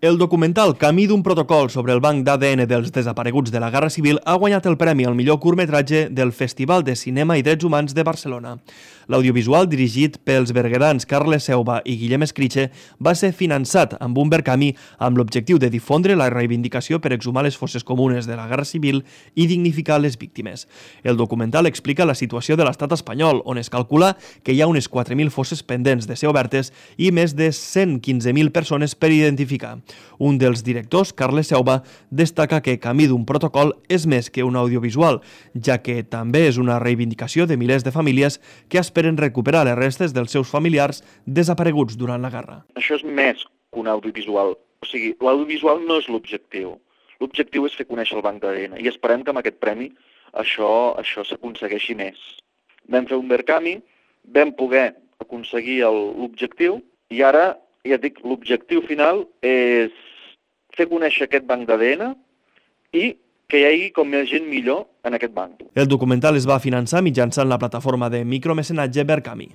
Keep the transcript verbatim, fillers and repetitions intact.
El documental Camí d'un protocol sobre el banc d'A D N dels desapareguts de la Guerra Civil ha guanyat el premi al millor curtmetratge del Festival de Cinema i Drets Humans de Barcelona. L'audiovisual, dirigit pels berguedans Carles Seuba i Guillem Escriche, va ser finançat amb un Verkami amb l'objectiu de difondre la reivindicació per exhumar les fosses comunes de la Guerra Civil i dignificar les víctimes. El documental explica la situació de l'estat espanyol, on es calcula que hi ha unes quatre mil fosses pendents de ser obertes i més de cent quinze mil persones per identificar. Un dels directors, Carles Seuba, destaca que Camí d'un protocol és més que un audiovisual, ja que també és una reivindicació de milers de famílies que esperen recuperar les restes dels seus familiars desapareguts durant la guerra. Això és més que un audiovisual. O sigui, l'audiovisual no és l'objectiu. L'objectiu és fer conèixer el banc d'A D N i esperem que amb aquest premi això, això s'aconsegueixi més. Vam fer un Verkami, vam poder aconseguir l'objectiu i ara, ja dic, l'objectiu final és fer conèixer aquest banc d'A D N i que hi hagi com més gent millor en aquest banc. El documental es va finançar mitjançant la plataforma de micromecenatge Verkami.